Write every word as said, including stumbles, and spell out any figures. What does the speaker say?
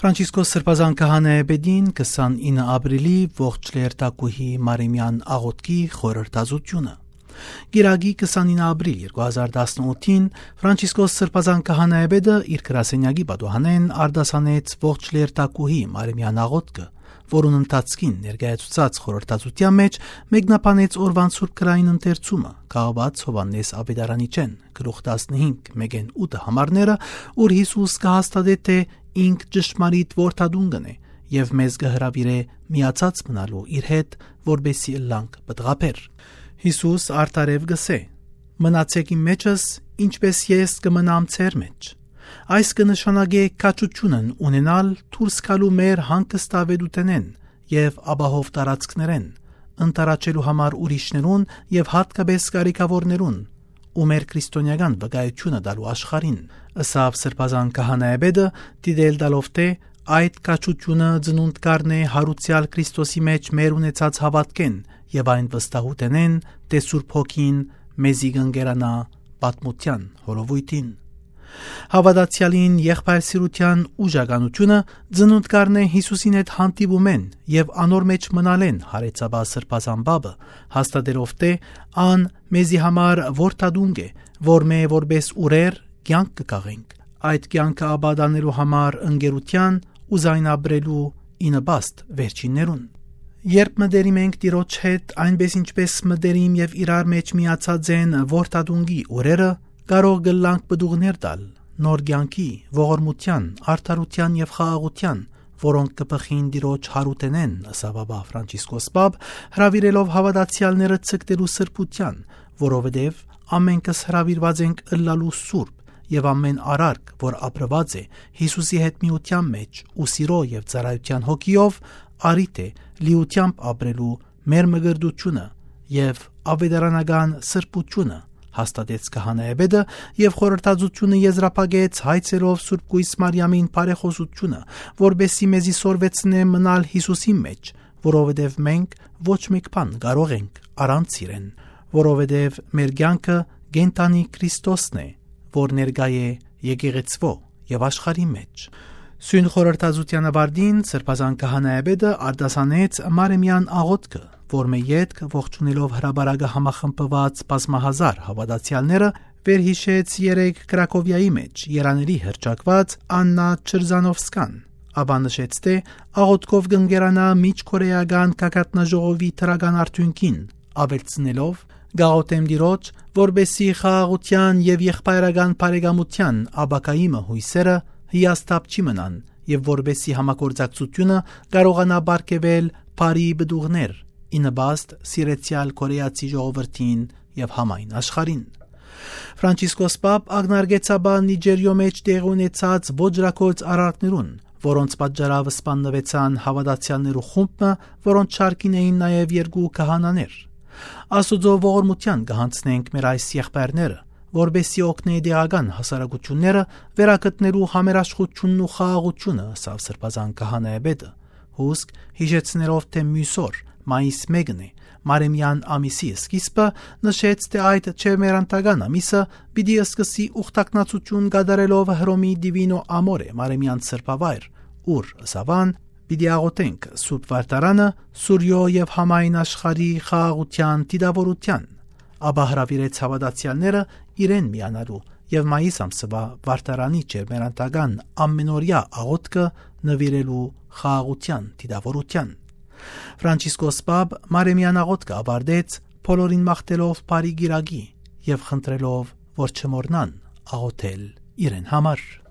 Ֆրանցիսկոս Սրբազան Քահանայապետին քսանինը ապրիլի ողջ լերթակուհի Մարեմեան աղօթքի խորհրդածութիւնը։ Կիրակի քսանինը ապրիլ երկու հազար տասնութին Ֆրանցիսկոս Սրբազան Քահանայապետը իր գրասենյակի պատուհանէն արտասանեց ողջ լերթակուհի Մարեմեան աղօթքը, որուն ընթացքին ներկայացուցած խորհրդածութեան մէջ մեկնաբանեց օրուան սուրբ գրային ընթերցումը՝ կախուած Յովհաննէս Աւետարանիչէն, գլուխ տասնհինգ, մէկէն ութը համարները, ուր Յիսուս կը հաստատէ, թէ ինք ճշմարիտ որդատունկն է եւ մեզ կը հրաւիրէ միացած մնալու իր հետ, որպէսզի ըլլանք պտղաբեր։ Յիսուս արդարեւ կ'ըսէ. «Մնացէք իմ մէջս, ինչպէս ես կը մնամ ձեր մէջ»։ Այս կը նշանակէ քաջութիւնն ունենալ դուրս գալու մեր հանգստաւէտութենէն եւ ապահով տարածքներէն, ընտառաջելու համար ուրիշներուն եւ յատկապէս կարիքաւորներուն ու մեր քրիստոնեական վկայութիւնը տալու աշխարհին, ըսաւ Սրբազան Քահանայապետը, դիտել տալով, թէ այդ քաջութիւնը ծնունդ կ'առնէ յարուցեալ Քրիստոսի մէջ մեր ունեցած հաւատքէն եւ այն վստահութենէն, թէ Սուրբ Հոգին մեզի կ'ընկերանայ պատմութեան հորովոյթին։ Հաւատացեալին եղբայր սիրութեան ուժականութիւնը ծնունդ կ'առնէ Յիսուսին հետ հանդիպումէն եւ անոր մէջ մնալէն, յարեցաւ Սրբազան Պապը, հաստատելով, թէ ան մեզի համար որդատունկ է, որմէ որպէս ուրեր կեանք կը քաղենք։ Այդ կեանքը ապա տանելու համար ընկերութեան ու զայն ապրելու ի նպաստ վերջիններուն։ Երբ մտերիմ ենք Տիրոջ հետ, այնպէս ինչպէս մտերիմ եւ իրար մէջ միացած են որդատունկի ուրերը, կարող կ'ըլլանք պտուղներ տալ նոր կեանքի, ողորմութեան, արդարութեան եւ խաղաղութեան, որոնք կը բխին Տիրոջ յարութենէն, ըսաւ ապա Ֆրանցիսկոս Պապ, հրաւիրելով հաւատացեալները ձգտելու սրբութեան, որովհետեւ ամէնքս հրաւիրուած ենք ըլլալու սուրբ եւ ամէն արարք, որ ապրուած է Յիսուսի հետ միութեան մէջ ու սիրո եւ ծառայութեան հոգիով, արի թէ լիութեամբ ապրելու մեր մկրտութիւնը եւ աւետարանական սրբութիւնը, հաստատեց քահանայապետը եւ խորհրդածութիւնը եզրափակեց հայցելով Սուրբ Կոյս Մարիամին բարեխօսութիւնը, որպէսզի մեզի սորվեցնէ մնալ Յիսուսին մէջ, որովհետեւ մենք ոչ մեկ բան կարող ենք առանց իրեն, որովհետեւ մեր կեանքը կենդանի Քրիստոսն է, որ ներկայ է եկեղեցւոյ եւ աշխարհի մէջ։ Սոյն խորհրդածութեան աւարտին Սրբազան քահանայապետը արտասանեց Մարեմեան աղօթքը, որմէ ետք ողջունելով հրապարակը համախմբուած բազմահազար հաւատացեալները, վերհիշեց երեկ Կրակովիայի մէջ երանելի հռչակուած Աննա Չրզանովսկան, ապա նշեց, թէ աղօթքով կ'ընկերանայ Միջկորեական գագաթնաժողովի դրական արդիւնքին, աւելցնելով. «Կ'աղօթեմ Տիրոջ, որպէսզի խաղաղութեան եւ եղբայրական բարեկամութեան ապագայի մը յոյսերը հիասթափ չի մնան եւ որպէսզի համագործակցութիւնը կարողանայ պարգեւել բարի պտուղներ, ի նպաստ սիրեցեալ կորեացի ժողովրդին եւ համայն աշխարհին»։ Ֆրանցիսկոս Պապ ակնարկեց ապա Նիջերիոյ մէջ տեղի ունեցած ոճրագործ արարքներուն, որոնց պատճառաւ սպաննուեցան հաւատացեալներու խումբ մը, որոնց շարքին էին նաեւ երկու քահանաներ։ «Աստուծոյ ողորմութեան կը յանձնենք մեր այս եղբայրները, որպէսզի օգնէ տեղական հասարակութիւնները վերագտնելու համերաշխութիւնն ու խաղաղութիւնը», ըսաւ Սրբազան քահանայապետը, հուսկ յիշեցնելով, թէ միւս օր, մայիս մէկն է, Մարեմեան ամիսի սկիզբը, նշեց, թէ այդ չեմերանդական ամիսը պիտի սկսի ուխտակնացութիւն կատարելով Հռոմի Դիվինո Ամորե Մարեմեան սրբավայր, ուր, ըսաւ ան, պիտի աղօթենք Սուրբ Վարդարանը, Սուրիոյ եւ համայն աշխարհի խաղաղութեան դիտաւորութեան, ապա հրաւիրեց հաւատացեալները իրեն միանալու եւ մայիս ամսուայ Վարդարանի չեմերանդական ամենօրեայ աղօթքը նուիրելու խաղաղութեան դիտաւորութեան։ Ֆրանցիսկոս Պապ Մարեմեան աղօթքը աւարտեց՝ բոլորին մաղթելով բարի կիրակի եւ խնդրելով, որ չմոռնան աղօթել իրեն համար։